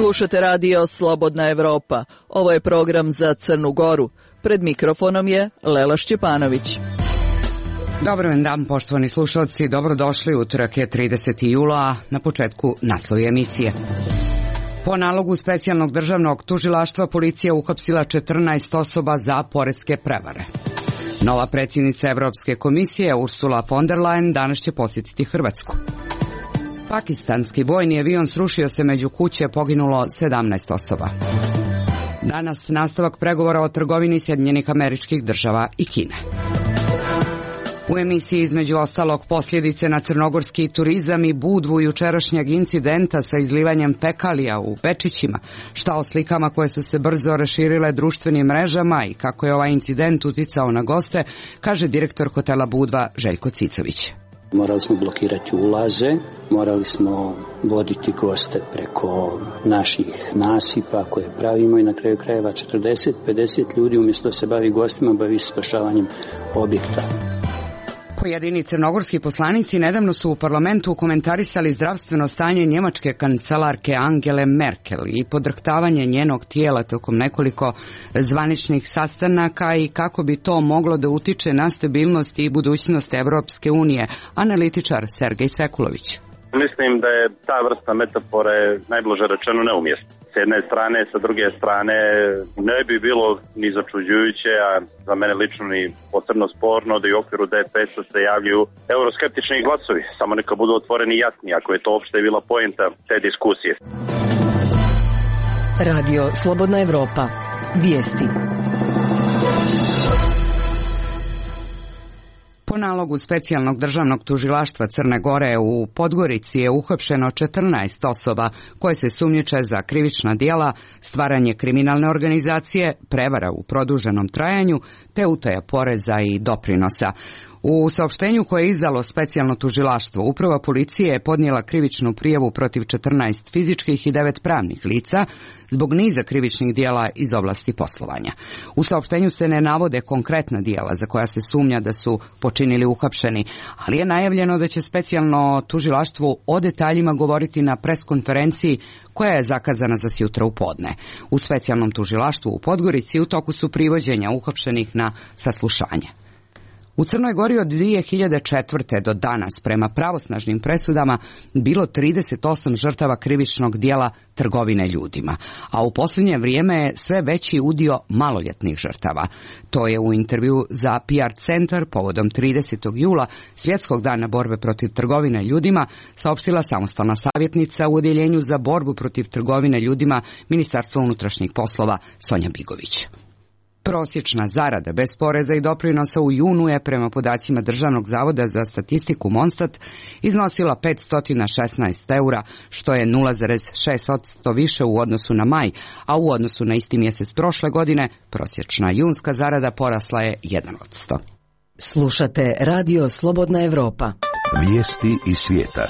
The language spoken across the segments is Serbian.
Slušate radio Slobodna Evropa. Ovo je program za Crnu Goru. Pred mikrofonom je Lela Šćepanović. Dobar dan, poštovani slušalci. Dobrodošli, utorak je 30. jula, na početku naslovi emisije. Po nalogu specijalnog državnog tužilaštva policija uhapsila 14 osoba za poreske prevare. Nova predsjednica Evropske komisije Ursula von der Leyen danas će posjetiti Hrvatsku. Pakistanski vojni avion srušio se među kuće, poginulo 17 osoba. Danas nastavak pregovora o trgovini Sjedinjenih Američkih Država i Kine. U emisiji između ostalog posljedice na crnogorski turizam i Budvu jučerašnjeg incidenta sa izlivanjem fekalija u Bečićima, šta o slikama koje su se brzo raširile društvenim mrežama i kako je ovaj incident uticao na goste, kaže direktor hotela Budva Željko Cicović. Morali smo blokirati ulaze, morali smo voditi goste preko naših nasipa koje pravimo i na kraju krajeva 40-50 ljudi umjesto da se bavi gostima, bavi spašavanjem objekta. Pojedini crnogorski poslanici nedavno su u parlamentu komentarisali zdravstveno stanje njemačke kancelarke Angele Merkel i podrhtavanje njenog tijela tokom nekoliko zvaničnih sastanaka i kako bi to moglo da utiče na stabilnost i budućnost Evropske unije, analitičar Sergej Sekulović. Mislim da je ta vrsta metafore najblaže rečeno neumjesna. S jedne strane, sa druge strane ne bi bilo ni začuđujuće, a za mene lično ni posebno sporno da i u okviru DPS-a se javljaju euroskeptični glasovi. Samo neka budu otvoreni i jasni, ako je to uopšte bila poenta te diskusije. Radio Slobodna Evropa. Vijesti. Po nalogu specijalnog državnog tužilaštva Crne Gore u Podgorici je uhapšeno 14 osoba koje se sumnjiče za krivična djela, stvaranje kriminalne organizacije, prevara u produženom trajanju te utaja poreza i doprinosa. U saopštenju koje je izdalo specijalno tužilaštvo, uprava policije je podnijela krivičnu prijavu protiv 14 fizičkih i 9 pravnih lica zbog niza krivičnih djela iz oblasti poslovanja. U saopštenju se ne navode konkretna djela za koja se sumnja da su počinili uhapšeni, ali je najavljeno da će specijalno tužilaštvo o detaljima govoriti na preskonferenciji koja je zakazana za sjutra u podne. U specijalnom tužilaštvu u Podgorici u toku su privođenja uhapšenih na saslušanje. U Crnoj Gori od 2004. do danas prema pravosnažnim presudama bilo 38 žrtava krivičnog djela trgovine ljudima, a u posljednje vrijeme je sve veći udio maloljetnih žrtava. To je u intervju za PR centar povodom 30. jula, Svjetskog dana borbe protiv trgovine ljudima, saopštila samostalna savjetnica u Odjeljenju za borbu protiv trgovine ljudima Ministarstva unutrašnjih poslova Sonja Bigović. Prosječna zarada bez poreza i doprinosa u junu je prema podacima Državnog zavoda za statistiku Monstat iznosila 516 eura, što je 0,6% više u odnosu na maj, a u odnosu na isti mjesec prošle godine prosječna junska zarada porasla je 1%. Slušate radio Slobodna Evropa. Vijesti iz svijeta.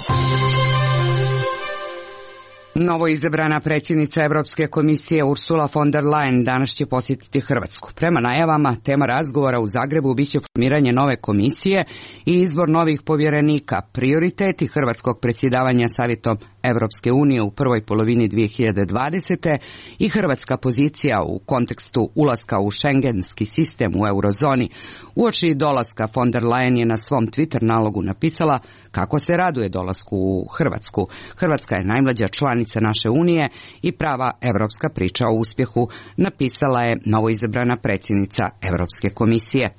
Novo izabrana predsjednica Evropske komisije Ursula von der Leyen danas će posjetiti Hrvatsku. Prema najavama, tema razgovora u Zagrebu biće formiranje nove komisije i izbor novih povjerenika, prioriteti hrvatskog predsjedavanja Savjetom Evropske unije u prvoj polovini 2020. i hrvatska pozicija u kontekstu ulaska u šengenski sistem u eurozoni. Uoči dolaska von der Leyen je na svom Twitter nalogu napisala kako se raduje dolasku u Hrvatsku. Hrvatska je najmlađa članica naše unije i prava evropska priča o uspjehu, napisala je novoizabrana predsjednica Evropske komisije.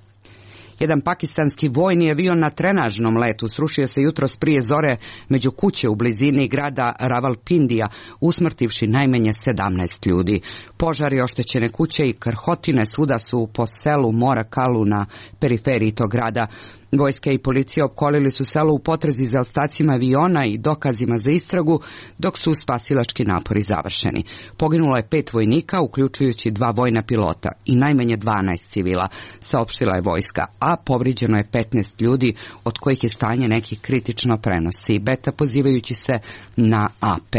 Jedan pakistanski vojni avion na trenažnom letu srušio se jutros prije zore među kuće u blizini grada Ravalpindija, usmrtivši najmanje 17 ljudi. Požari, oštećene kuće i krhotine svuda su po selu Mora Kalu na periferiji tog grada. Vojska i policija opkolili su selo u potrazi za ostacima aviona i dokazima za istragu, dok su spasilački napori završeni. Poginulo je 5 vojnika, uključujući 2 vojna pilota i najmanje 12 civila, saopštila je vojska, a povrijeđeno je 15 ljudi, od kojih je stanje nekih kritično, prenosi Beta pozivajući se na AP.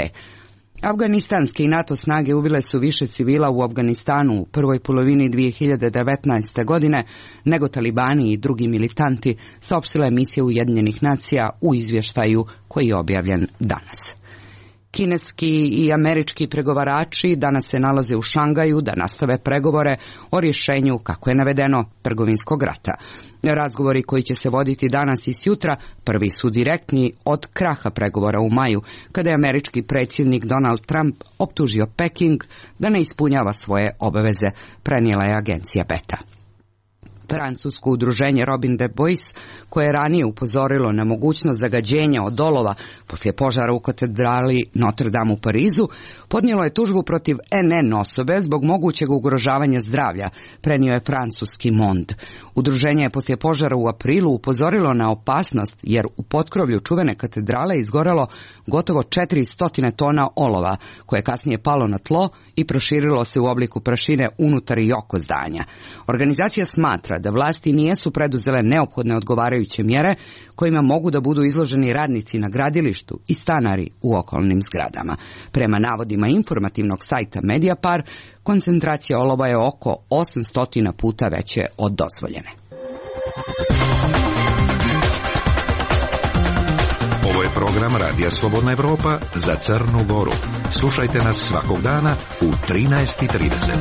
Afganistanske i NATO snage ubile su više civila u Afganistanu u prvoj polovini 2019. godine nego talibani i drugi militanti, saopštila je misija Ujedinjenih nacija u izvještaju koji je objavljen danas. Kineski i američki pregovarači danas se nalaze u Šangaju da nastave pregovore o rješenju, kako je navedeno, trgovinskog rata. Razgovori koji će se voditi danas i sjutra prvi su direktni od kraha pregovora u maju, kada je američki predsjednik Donald Trump optužio Peking da ne ispunjava svoje obaveze, prenijela je agencija Beta. Francusko udruženje Robin des Bois, koje je ranije upozorilo na mogućnost zagađenja od olova poslije požara u katedrali Notre Dame u Parizu, podnijelo je tužbu protiv NN osobe zbog mogućeg ugrožavanja zdravlja, prenio je francuski Monde. Udruženje je poslije požara u aprilu upozorilo na opasnost jer u potkrovlju čuvene katedrale izgorelo gotovo 400 tona olova, koje je kasnije palo na tlo i proširilo se u obliku prašine unutar i oko zdanja. Organizacija smatra da vlasti nijesu preduzele neophodne odgovarajuće mjere kojima mogu da budu izloženi radnici na gradilištu i stanari u okolnim zgradama. Prema navodima informativnog sajta Mediapar, koncentracija olova je oko 800 puta veće od dozvoljene. Ovo je program Radija Slobodna Evropa za Crnu Goru. Slušajte nas svakog dana u 13:30.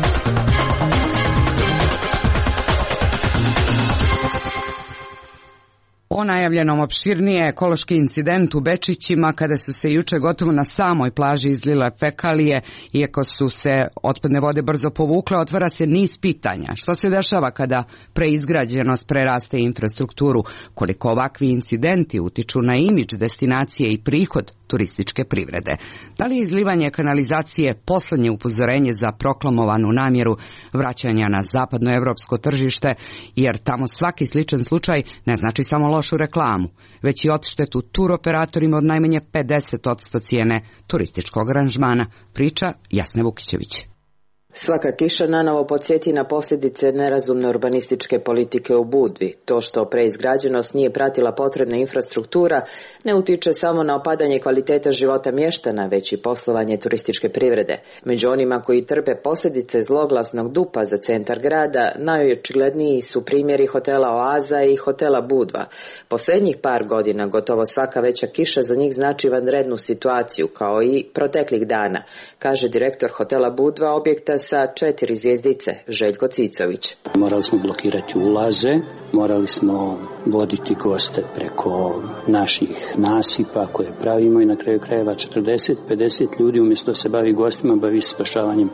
O najavljenom opširnije ekološki incident u Bečićima kada su se juče gotovo na samoj plaži izlile fekalije, iako su se otpadne vode brzo povukle, otvara se niz pitanja. Što se dešava kada preizgrađenost preraste infrastrukturu? Koliko ovakvi incidenti utiču na imidž destinacije i prihod turističke privrede? Da li je izlivanje kanalizacije poslednje upozorenje za proklamovanu namjeru vraćanja na zapadnoevropsko tržište, jer tamo svaki sličan slučaj ne znači samo lošu reklamu, već i odštetu turoperatorima od najmanje 50% cijene turističkog aranžmana, priča Jasne Vukićević. Svaka kiša nanovo podsjeti na posljedice nerazumne urbanističke politike u Budvi. To što preizgrađenost nije pratila potrebna infrastruktura ne utiče samo na opadanje kvaliteta života mještana, već i poslovanje turističke privrede. Među onima koji trpe posljedice zloglasnog dupa za centar grada, najočigledniji su primjeri hotela Oaza i hotela Budva. Posljednjih par godina gotovo svaka veća kiša za njih znači vanrednu situaciju, kao i proteklih dana, kaže direktor hotela Budva, objekta sa 4 zvjezdice, Željko Cicović. Morali smo blokirati ulaze, morali smo voditi goste preko naših nasipa koje pravimo i na kraju krajeva 40-50 ljudi umjesto da se bavi gostima, bavi spašavanjem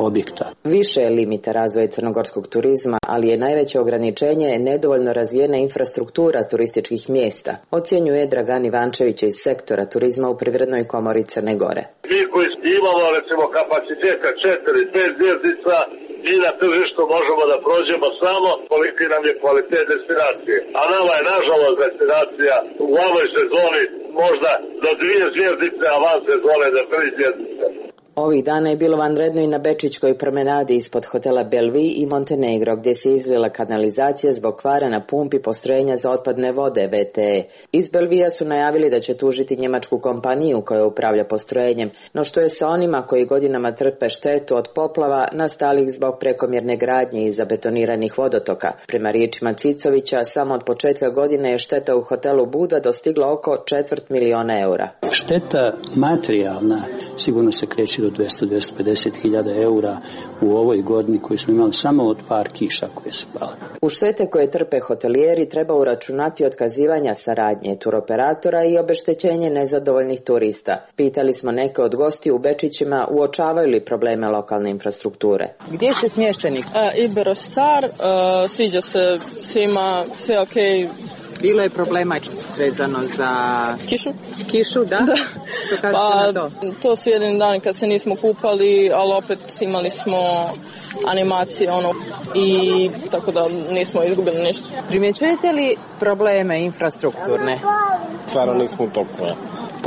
objekta. Više je limita razvoja crnogorskog turizma, ali je najveće ograničenje nedovoljno razvijena infrastruktura turističkih mjesta, ocjenjuje Dragan Ivančević iz sektora turizma u Privrednoj komori Crne Gore. Mi koji imamo recimo kapaciteta 4-5 zvjezdica, mi na tržištu možemo da prođemo samo koliki nam je kvalitet destinacije. A nama je nažalost destinacija u ovoj sezoni možda do 2 zvjezdice, a van sezone do 3 zvjezdice. Ovih dana je bilo vanredno i na Bečićkoj promenadi ispod hotela Bellevue i Montenegro, gdje se izlila kanalizacija zbog kvara na pumpi postrojenja za otpadne vode VTE. Iz Bellevue su najavili da će tužiti njemačku kompaniju koja upravlja postrojenjem, no što je sa onima koji godinama trpe štetu od poplava nastalih zbog prekomjerne gradnje i zabetoniranih vodotoka. Prema riječima Cicovića, samo od početka godine je šteta u hotelu Buda dostigla oko 250.000 eura. Šteta materijalna sigurno se kreće do 200-250 hiljada eura u ovoj godini koju smo imali samo od par kiša koje su pale. U štete koje trpe hotelijeri treba uračunati otkazivanja saradnje turoperatora i obeštećenje nezadovoljnih turista. Pitali smo neke od gostiju u Bečićima uočavaju li probleme lokalne infrastrukture. Gdje ste smješteni? Iberostar, sviđa se svima, sve okej. Bilo je problema vezano za kišu, da? Što kažete na to? To su jedini dani kad se nismo kupali, ali opet imali smo animacije i tako da nismo izgubili ništa. Primjećujete li probleme infrastrukturne? Stvarno nismo u toku.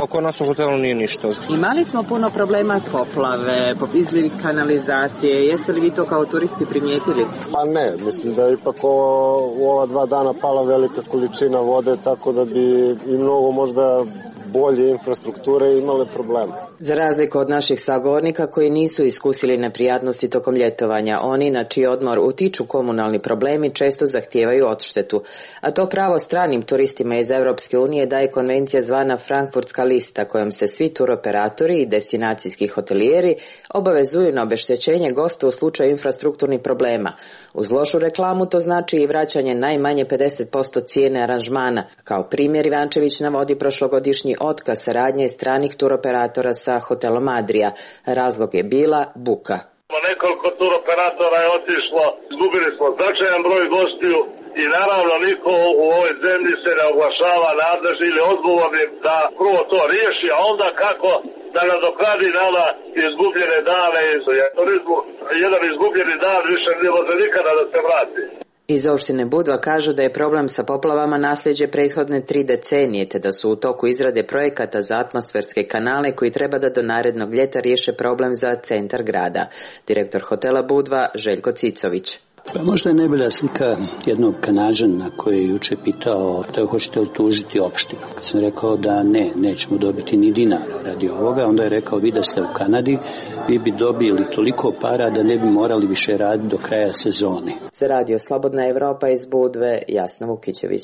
Oko nas u hotelu nije ništa. Imali smo puno problema s poplave, izliv kanalizacije. Jeste li vi to kao turisti primijetili? Pa ne, mislim da je ipak u ova 2 dana pala velika količina vode, tako da bi i mnogo možda bolje infrastrukture imale probleme. Za razliku od naših sagovornika koji nisu iskusili neprijatnosti tokom ljetovanja, oni na čiji odmor utiču komunalni problemi često zahtijevaju odštetu. A to pravo stranim turistima iz Europske unije daje konvencija zvana Frankfurtska lista, kojom se svi turoperatori i destinacijski hotelijeri obavezuju na obeštećenje gosta u slučaju infrastrukturnih problema. Uz lošu reklamu to znači i vraćanje najmanje 50% cijene aranžmana. Kao primjer Ivančević navodi prošlogodišnji otkaz saradnje stranih turoperatora sa hotelom Adria. Razlog je bila buka. Nekoliko turoperatora je otišlo, izgubili smo značajan broj gostiju i naravno niko u ovoj zemlji se ne oglašava nadležni ili odgovornim da prvo to riješi, a onda kako da nadoknadi nama izgubljene dane iz turizmu. Jedan izgubljeni dan više ne može nikada da se vrati. Iz opštine Budva kažu da je problem sa poplavama nasljeđe prethodne 3 decenije, te da su u toku izrade projekata za atmosferske kanale koji treba da do narednog ljeta riješe problem za centar grada. Direktor hotela Budva Željko Cicović. Pa možda je najbolja slika jednog Kanađana koji je juče pitao da hoćete li tužiti opštinu. Kad sam rekao da nećemo dobiti ni dinara radi ovoga, onda je rekao vi da ste u Kanadi, vi bi dobili toliko para da ne bi morali više raditi do kraja sezone. Za radio Slobodna Evropa iz Budve, Jasna Vukićević.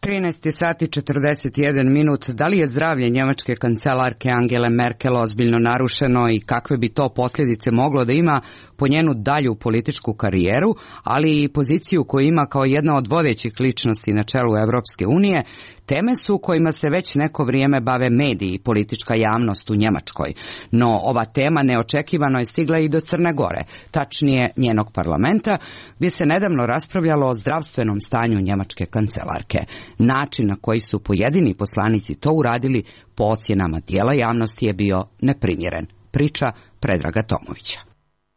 13 sati 41 minut. Da li je zdravlje njemačke kancelarke Angele Merkel ozbiljno narušeno i kakve bi to posljedice moglo da ima po njenu dalju političku karijeru, ali i poziciju koju ima kao jedna od vodećih ličnosti na čelu Evropske unije, teme su kojima se već neko vrijeme bave mediji i politička javnost u Njemačkoj. No ova tema neočekivano je stigla i do Crne Gore, tačnije njenog parlamenta, gdje se nedavno raspravljalo o zdravstvenom stanju njemačke kancelarke. Način na koji su pojedini poslanici to uradili po ocjenama dijela javnosti je bio neprimjeren. Priča Predraga Tomovića.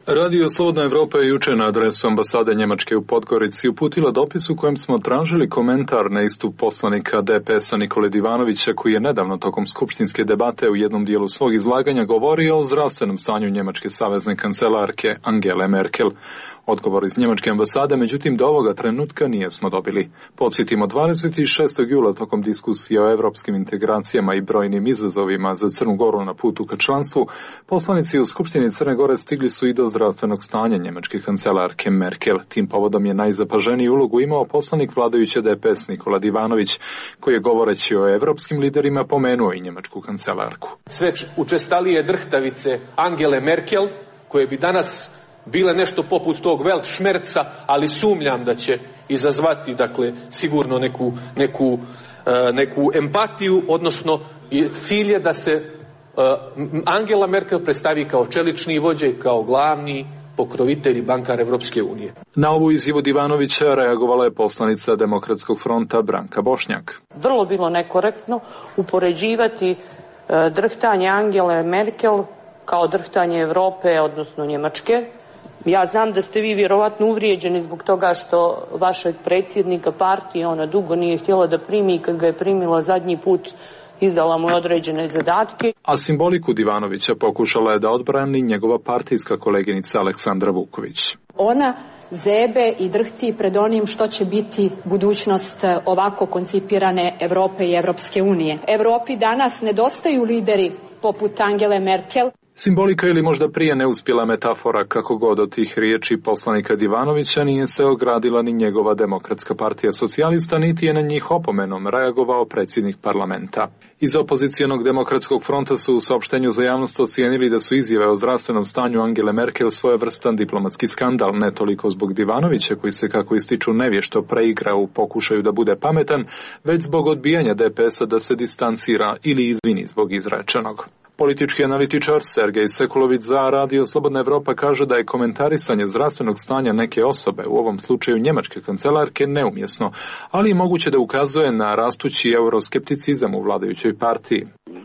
Radio Slobodna Evropa je juče na adresu ambasade Njemačke u Podgorici uputila dopis u kojem smo tražili komentar na istup poslanika DPS-a Nikole Divanovića, koji je nedavno tokom skupštinske debate u jednom dijelu svog izlaganja govorio o zdravstvenom stanju njemačke savezne kancelarke Angele Merkel. Odgovor iz njemačke ambasade, međutim, do ovoga trenutka nijesmo dobili. Podsjetimo, 26. jula tokom diskusije o evropskim integracijama i brojnim izazovima za Crnu Goru na putu ka članstvu, poslanici u Skupštini Crne Gore stigli su i do zdravstvenog stanja njemačke kancelarke Merkel. Tim povodom je najzapaženiju ulogu imao poslanik vladajuće DPS Nikola Divanović, koji je govoreći o evropskim liderima pomenuo i njemačku kancelarku. Sve učestalije drhtavice Angele Merkel, koje bi danas bile nešto poput tog Weltschmerza, ali sumnjam da će izazvati, dakle, sigurno neku empatiju, odnosno cilj je da se Angela Merkel predstavi kao čelični vođa i kao glavni pokrovitelj i bankar Evropske unije. Na ovu izjavu Divanovića reagovala je poslanica Demokratskog fronta Branka Bošnjak. Vrlo bilo nekorektno upoređivati drhtanje Angele Merkel kao drhtanje Evrope, odnosno Njemačke. Ja znam da ste vi vjerovatno uvrijeđeni zbog toga što vašeg predsjednika partije ona dugo nije htjela da primi i kad ga je primila zadnji put izdala mu određene zadatke. A simboliku Divanovića pokušala je da odbrani njegova partijska koleginica Aleksandra Vuković. Ona zebe i drhti pred onim što će biti budućnost ovako koncipirane Evrope i Evropske unije. Evropi danas nedostaju lideri poput Angele Merkel. Simbolika ili možda prije neuspjela metafora, kako god od tih riječi poslanika Divanovića nije se ogradila ni njegova Demokratska partija socijalista, niti je na njih opomenom reagovao predsjednik parlamenta. Iz opozicionog Demokratskog fronta su u saopštenju za javnost ocijenili da su izjave o zdravstvenom stanju Angele Merkel svojevrstan diplomatski skandal, ne toliko zbog Divanovića, koji se, kako ističu, nevješto preigra u pokušaju da bude pametan, već zbog odbijanja DPS-a da se distancira ili izvini zbog izrečenog. Politički analitičar Sergej Sekulović za Radio Slobodna Evropa kaže da je komentarisanje zdravstvenog stanja neke osobe, u ovom slučaju njemačke kancelarke, neumjesno, ali i moguće da ukazuje na rastući euroskepticizam u vladajućoj partiji.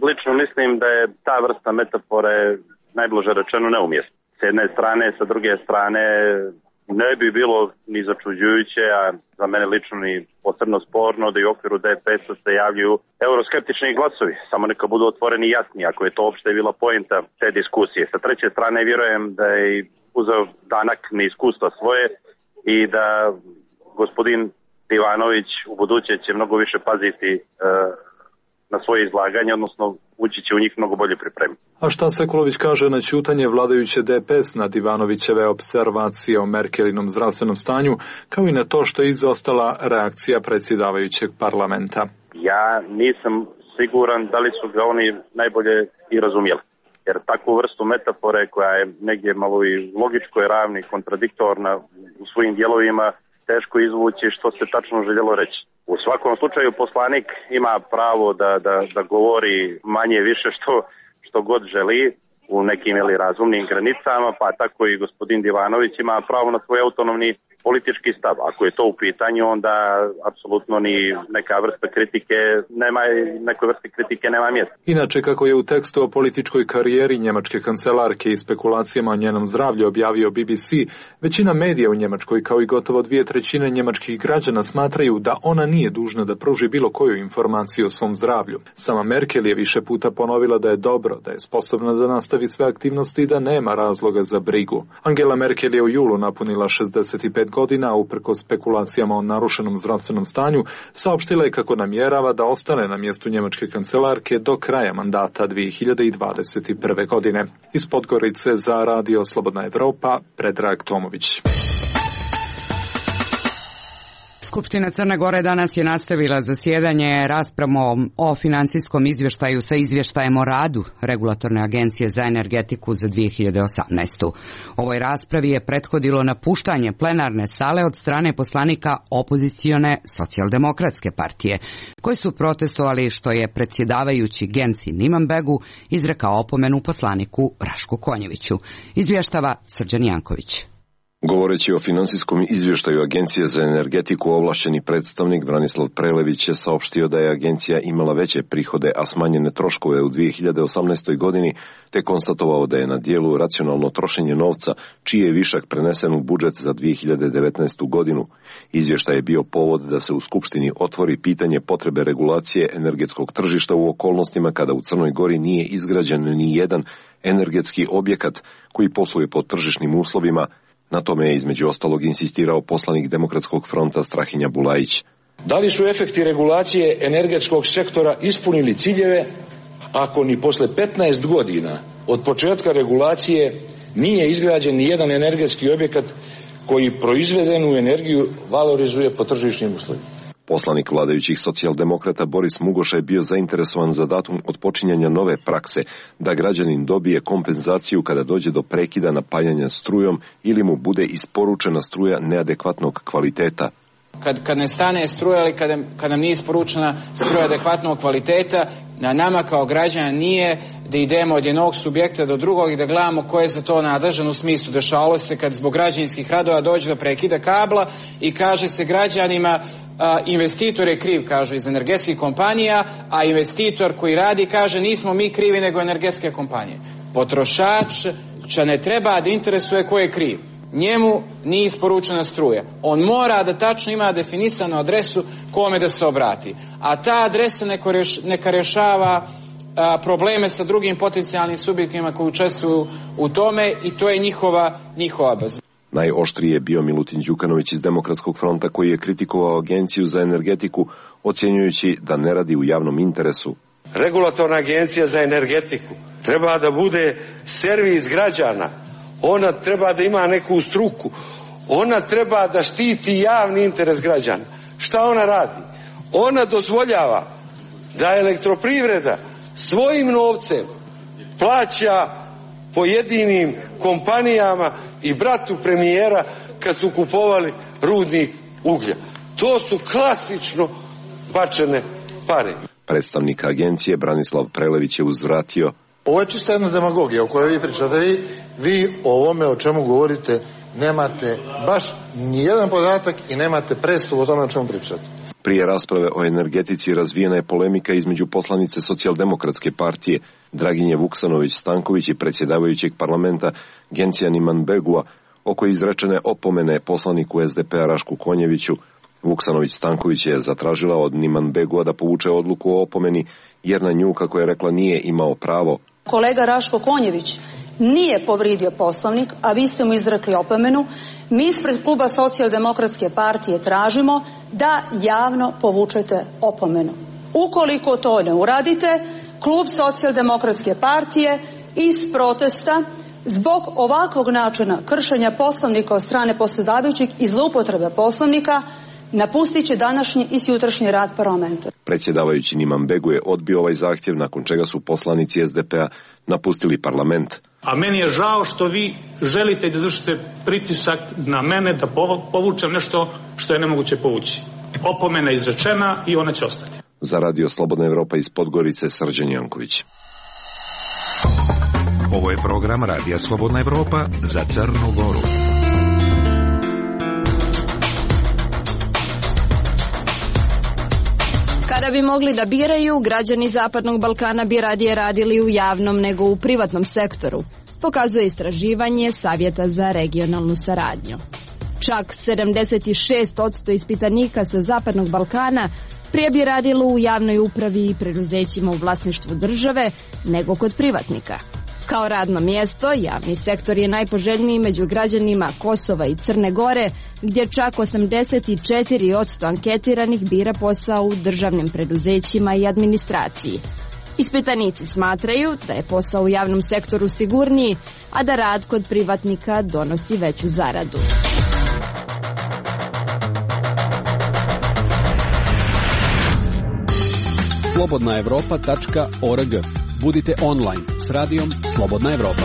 Lično mislim da je ta vrsta metafore najblaže rečeno neumjesna. S jedne strane, sa druge strane ne bi bilo ni začuđujuće, a za mene lično ni posebno sporno da i u okviru DPS-a se javljaju euroskeptični glasovi. Samo neka budu otvoreni i jasni, ako je to uopšte bila poenta te diskusije. Sa treće strane vjerujem da je uzeo danak neiskustva svoje i da gospodin Divanović u buduće će mnogo više paziti na svoje izlaganje, odnosno ući će u njih mnogo bolje pripremiti. A šta Sekulović kaže na ćutanje vladajuće DPS na Divanovićeve observacije o Merkelinom zdravstvenom stanju, kao i na to što je izostala reakcija predsjedavajućeg parlamenta? Ja nisam siguran da li su ga oni najbolje i razumjeli. Jer takvu vrstu metafore koja je negdje malo i logičko je ravna i kontradiktorna u svojim dijelovima, teško izvući što se tačno željelo reći. U svakom slučaju poslanik ima pravo da govori manje više što god želi u nekim razumnim granicama, pa tako i gospodin Divanović ima pravo na svoj autonomni politički stav. Ako je to u pitanju, onda apsolutno ni neka vrsta kritike nema mjesta. Inače, kako je u tekstu o političkoj karijeri njemačke kancelarke i spekulacijama o njenom zdravlju objavio BBC, većina medija u Njemačkoj, kao i gotovo 2/3 njemačkih građana, smatraju da ona nije dužna da pruži bilo koju informaciju o svom zdravlju. Sama Merkel je više puta ponovila da je dobro, da je sposobna da nastavi sve aktivnosti i da nema razloga za brigu. Angela Merkel je u julu napunila 65 godina, uprkos spekulacijama o narušenom zdravstvenom stanju, saopštila je kako namjerava da ostane na mjestu njemačke kancelarke do kraja mandata 2021. godine. Iz Podgorice za Radio Slobodna Evropa, Predrag Tomović. Skupština Crne Gore danas je nastavila zasjedanje raspravom o finansijskom izvještaju sa izvještajem o radu Regulatorne agencije za energetiku za 2018. Ovoj raspravi je prethodilo napuštanje plenarne sale od strane poslanika opozicione Socijaldemokratske partije, koji su protestovali što je predsjedavajući Genci Nimanbegu izrekao opomenu poslaniku Rašku Konjeviću. Izvještava Srđan Janković. Govoreći o finansijskom izvještaju Agencije za energetiku, ovlašćeni predstavnik Branislav Prelević je saopštio da je agencija imala veće prihode, a smanjene troškove u 2018. godini, te konstatovao da je na dijelu racionalno trošenje novca, čiji je višak prenesen u budžet za 2019. godinu. Izvještaj je bio povod da se u Skupštini otvori pitanje potrebe regulacije energetskog tržišta u okolnostima kada u Crnoj Gori nije izgrađen ni jedan energetski objekat koji posluje pod tržišnim uslovima. Na tome je između ostalog insistirao poslanik Demokratskog fronta Strahinja Bulajić. Da li su efekti regulacije energetskog sektora ispunili ciljeve ako ni posle 15 godina od početka regulacije nije izgrađen ni jedan energetski objekat koji proizvedenu energiju valorizuje po tržišnim uslovima? Poslanik vladajućih socijaldemokrata Boris Mugoša je bio zainteresovan za datum otpočinjanja nove prakse, da građanin dobije kompenzaciju kada dođe do prekida napajanja strujom ili mu bude isporučena struja neadekvatnog kvaliteta. Kad ne stane struja ili kad nam nije isporučena struja adekvatnog kvaliteta, na nama kao građana nije da idemo od jednog subjekta do drugog i da gledamo ko je za to nadležan, u smislu dešavalo se kad zbog građevinskih radova dođe do prekida kabla i kaže se građanima investitor je kriv, kaže iz energetskih kompanija, a investitor koji radi kaže nismo mi krivi nego energetske kompanije. Potrošač ne treba da interesuje ko je kriv. Njemu nije isporučena struja. On mora da tačno ima definisanu adresu kome da se obrati. A ta adresa neka rješava probleme sa drugim potencijalnim subjektima koji učestvuju u tome i to je njihova obaveza. Najoštriji je bio Milutin Đukanović iz Demokratskog fronta, koji je kritikovao Agenciju za energetiku, ocjenjujući da ne radi u javnom interesu. Regulatorna agencija za energetiku treba da bude servis građana. Ona treba da ima neku struku. Ona treba da štiti javni interes građana. Šta ona radi? Ona dozvoljava da elektroprivreda svojim novcem plaća pojedinim kompanijama i bratu premijera kad su kupovali rudnik uglja. To su klasično bačene pare. Predstavnik agencije Branislav Prelević je uzvratio: ovo je čista jedna demagogija o kojoj vi pričate. Vi o ovome o čemu govorite nemate baš nijedan podatak i nemate predstavu o tome o čemu pričate. Prije rasprave o energetici razvijena je polemika između poslanice Socijaldemokratske partije Draginje Vuksanović-Stanković i predsjedavajućeg parlamenta Gencija Nimanbegua oko izrečene opomene poslaniku SDP-a Rašku Konjeviću. Vuksanović-Stanković je zatražila od Nimanbegua da povuče odluku o opomeni jer na nju, kako je rekla, nije imao pravo. Kolega Raško Konjević nije povrijedio Poslovnik, a vi ste mu izrekli opomenu, mi ispred kluba Socijaldemokratske partije tražimo da javno povučete opomenu. Ukoliko to ne uradite, klub Socijaldemokratske partije iz protesta zbog ovakvog načina kršenja Poslovnika od strane predsjedavajućeg i zloupotrebe Poslovnika napustit će današnji i sutrašnji rad parlamenta. Predsjedavajući Niman Begu je odbio ovaj zahtjev, nakon čega su poslanici SDP-a napustili parlament. A meni je žao što vi želite da izvršite pritisak na mene da povučem nešto što je nemoguće povući. Opomena je izrečena i ona će ostati. Za Radio Slobodna Evropa iz Podgorice, Srđan Janković. Ovo je program Radija Slobodna Evropa za Crnu Goru. Kada bi mogli da biraju, građani Zapadnog Balkana bi radije radili u javnom nego u privatnom sektoru, pokazuje istraživanje Savjeta za regionalnu saradnju. Čak 76% ispitanika sa Zapadnog Balkana prije bi radilo u javnoj upravi i preduzećima u vlasništvu države nego kod privatnika. Kao radno mjesto, javni sektor je najpoželjniji među građanima Kosova i Crne Gore, gdje čak 84% anketiranih bira posao u državnim preduzećima i administraciji. Ispitanici smatraju da je posao u javnom sektoru sigurniji, a da rad kod privatnika donosi veću zaradu. slobodnaevropa.org. Budite online s radijom Slobodna Evropa.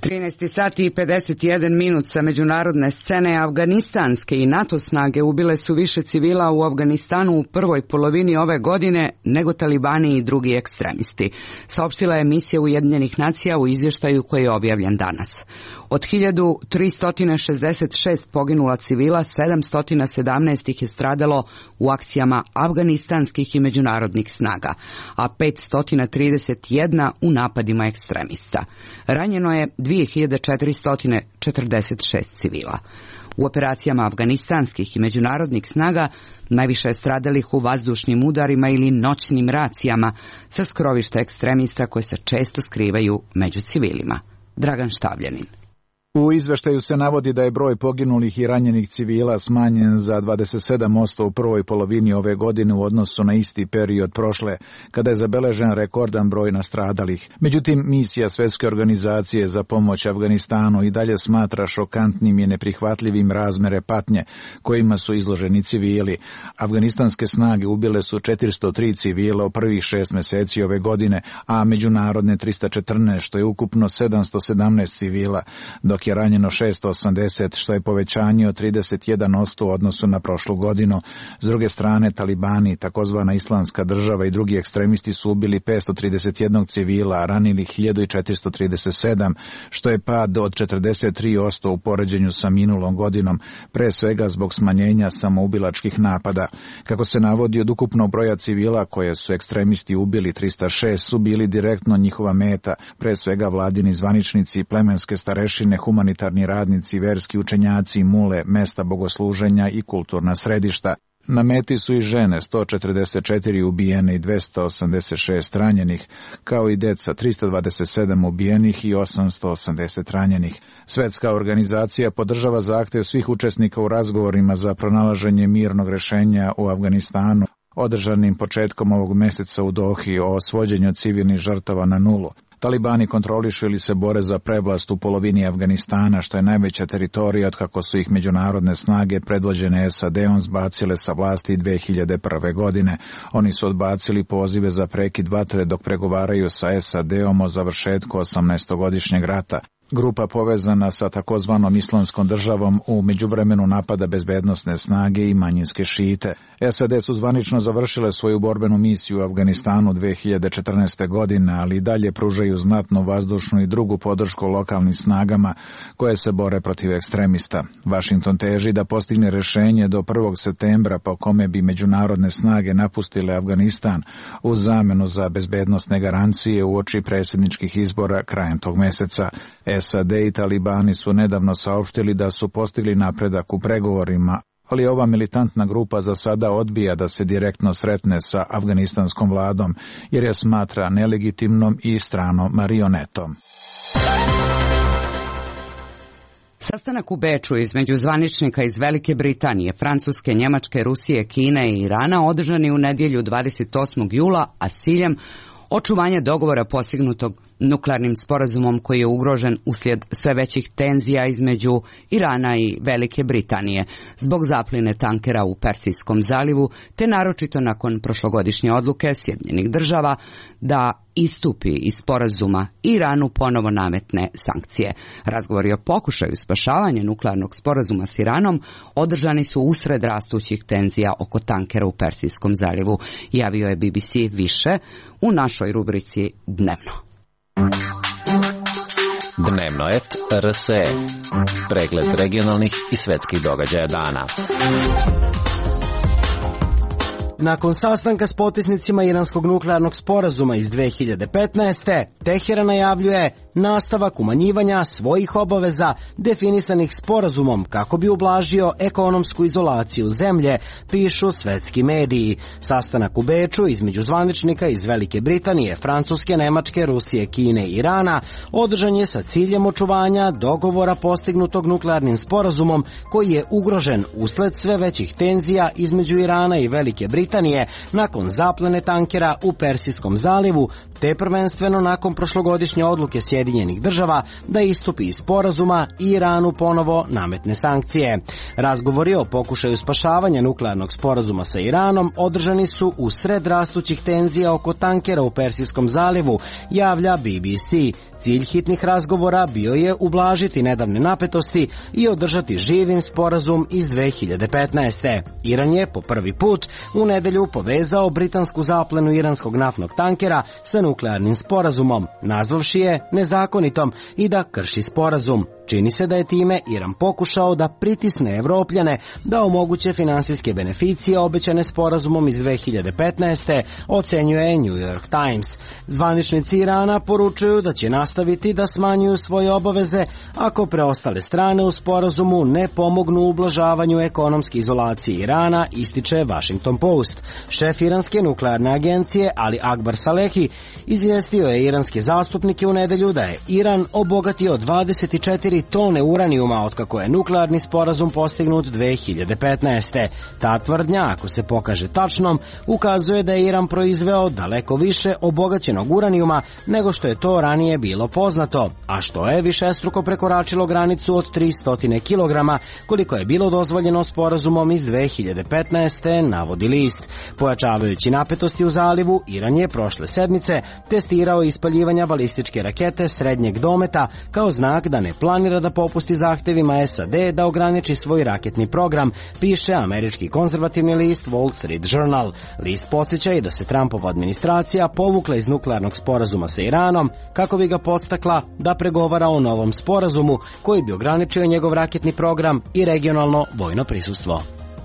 13 sati i 51 minut sa međunarodne scene. Afganistanske i NATO snage ubile su više civila u Afganistanu u prvoj polovini ove godine nego talibani i drugi ekstremisti, saopštila je misija Ujedinjenih nacija u izvještaju koji je objavljen danas. Od 1366 poginula civila, 717 ih je stradalo u akcijama afganistanskih i međunarodnih snaga, a 531 u napadima ekstremista. Ranjeno je 2446 civila. U operacijama afganistanskih i međunarodnih snaga najviše je stradalih u vazdušnim udarima ili noćnim racijama sa skrovišta ekstremista koje se često skrivaju među civilima. Dragan Štavljanin. U izveštaju se navodi da je broj poginulih i ranjenih civila smanjen za 27% u prvoj polovini ove godine u odnosu na isti period prošle, kada je zabeležen rekordan broj nastradalih. Međutim, misija Svjetske organizacije za pomoć Afganistanu i dalje smatra šokantnim i neprihvatljivim razmere patnje kojima su izloženi civili. Afganistanske snage ubile su 403 civila u prvih 6 mjeseci ove godine, a međunarodne 314, što je ukupno 717 civila, dok je ranjeno 680, što je povećanje od 31% u odnosu na prošlu godinu. S druge strane, talibani, takozvana Islamska država i drugi ekstremisti su ubili 531 civila, a ranili 1437, što je pad od 43% u poređenju sa minulom godinom, pre svega zbog smanjenja samoubilačkih napada. Kako se navodi, od ukupnog broja civila koje su ekstremisti ubili, 306 su bili direktno njihova meta, pre svega vladini zvaničnici, plemenske starešine, humanitarni radnici, verski učenjaci, mule, mesta bogosluženja i kulturna središta. Na meti su i žene, 144 ubijene i 286 ranjenih, kao i deca, 327 ubijenih i 880 ranjenih. Svjetska organizacija podržava zahtjev svih učesnika u razgovorima za pronalaženje mirnog rješenja u Afganistanu, održanim početkom ovog mjeseca u Dohi, o svođenju civilnih žrtava na nulu. Talibani kontrolišu ili se bore za prevlast u polovini Afganistana, što je najveća teritorija od kako su ih međunarodne snage predvođene SAD-om zbacile sa vlasti 2001. godine. Oni su odbacili pozive za prekid vatre dok pregovaraju sa SAD-om o završetku 18-godišnjeg rata. Grupa povezana sa takozvanom Islamskom državom u međuvremenu napada bezbednosne snage i manjinske šite. SAD su zvanično završile svoju borbenu misiju u Afganistanu 2014. godine, ali i dalje pružaju znatnu vazdušnu i drugu podršku lokalnim snagama koje se bore protiv ekstremista. Washington teži da postigne rješenje do 1. septembra po kome bi međunarodne snage napustile Afganistan u zamenu za bezbednosne garancije uoči predsjedničkih izbora krajem tog mjeseca. SAD i talibani su nedavno saopštili da su postigli napredak u pregovorima ali ova militantna grupa za sada odbija da se direktno sretne sa afganistanskom vladom, jer je smatra nelegitimnom i stranom marionetom. Sastanak u Beču između zvaničnika iz Velike Britanije, Francuske, Njemačke, Rusije, Kine i Irana održan je u nedjelju 28. jula, a s ciljem očuvanja dogovora postignutog nuklearnim sporazumom koji je ugrožen uslijed sve većih tenzija između Irana i Velike Britanije zbog zapline tankera u Persijskom zalivu, te naročito nakon prošlogodišnje odluke Sjedinjenih država da istupi iz sporazuma i Iranu ponovo nametne sankcije. Razgovori o pokušaju spašavanja nuklearnog sporazuma s Iranom održani su usred rastućih tenzija oko tankera u Persijskom zalivu, javio je BBC više u našoj rubrici Dnevno. Dnevno et RSE. Pregled regionalnih i svetskih događaja dana. Nakon sastanka s potpisnicima iranskog nuklearnog sporazuma iz 2015. Teheran najavljuje nastavak umanjivanja svojih obaveza definisanih sporazumom kako bi ublažio ekonomsku izolaciju zemlje, pišu svetski mediji. Sastanak u Beču između zvaničnika iz Velike Britanije, Francuske, Nemačke, Rusije, Kine i Irana održan je sa ciljem očuvanja dogovora postignutog nuklearnim sporazumom koji je ugrožen usled sve većih tenzija između Irana i Velike Britanije nakon zaplene tankera u Persijskom zalivu, te prvenstveno nakon prošlogodišnje odluke Sjedinjenih država da istupi iz sporazuma i Iranu ponovo nametne sankcije. Razgovori o pokušaju spašavanja nuklearnog sporazuma sa Iranom održani su u sred rastućih tenzija oko tankera u Persijskom zalivu, javlja BBC. Cilj hitnih razgovora bio je ublažiti nedavne napetosti i održati živim sporazum iz 2015. Iran je po prvi put u nedjelju povezao britansku zaplenu iranskog naftnog tankera sa nuklearnim sporazumom, nazvavši je nezakonitom i da krši sporazum. Čini se da je time Iran pokušao da pritisne Evropljane da omoguće finansijske beneficije obećane sporazumom iz 2015. ocenjuje New York Times. Zvaničnici Irana poručuju da će nastaviti da smanjuju svoje obaveze ako preostale strane u sporazumu ne pomognu u ublažavanju ekonomske izolacije Irana, ističe Washington Post. Šef iranske nuklearne agencije Ali Akbar Salehi izvijestio je iranske zastupnike u nedjelju da je Iran obogatio 24 tone uranijuma otkako je nuklearni sporazum postignut 2015. Ta tvrdnja, ako se pokaže tačnom, ukazuje da je Iran proizveo daleko više obogaćenog uranijuma nego što je to ranije bilo poznato, a što je višestruko prekoračilo granicu od 300 kg, koliko je bilo dozvoljeno sporazumom iz 2015. navodi list. Pojačavajući napetosti u zalivu, Iran je prošle sedmice testirao ispaljivanja balističke rakete srednjeg dometa kao znak da ne planira da popusti zahtevima SAD da ograniči svoj raketni program, piše američki konzervativni list Wall Street Journal. List podsjeća i da se Trumpova administracija povukla iz nuklearnog sporazuma sa Iranom kako bi ga podstakla da pregovara o novom sporazumu koji bi ograničio njegov raketni program i regionalno vojno prisustvo.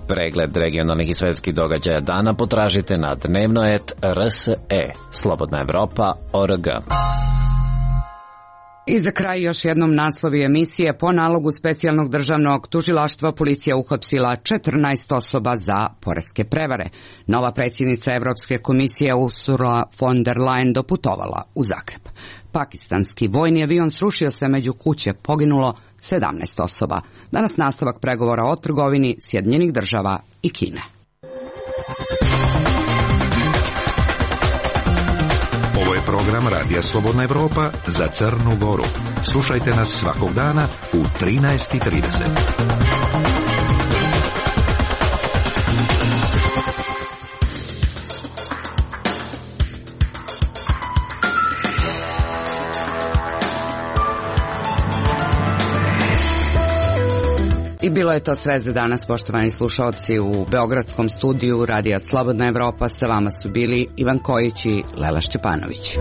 Pregled regionalnih i svetskih događaja dana potražite na dnevno.rs.e. Slobodna Evropa.org. I za kraj još jednom naslovi emisije. Po nalogu specijalnog državnog tužilaštva policija uhapsila 14 osoba za poreske prevare. Nova predsjednica Europske komisije Ursula von der Leyen doputovala u Zagreb. Pakistanski vojni avion srušio se među kuće, poginulo 17 osoba. Danas nastavak pregovora o trgovini Sjedinjenih država i Kine. Ovo je program Radija Slobodna Evropa za Crnu Goru. Slušajte nas svakog dana u 13:30. I bilo je to sve za danas, poštovani slušalci. U beogradskom studiju Radija Slobodna Evropa sa vama su bili Ivan Kojić i Lela Šćepanović.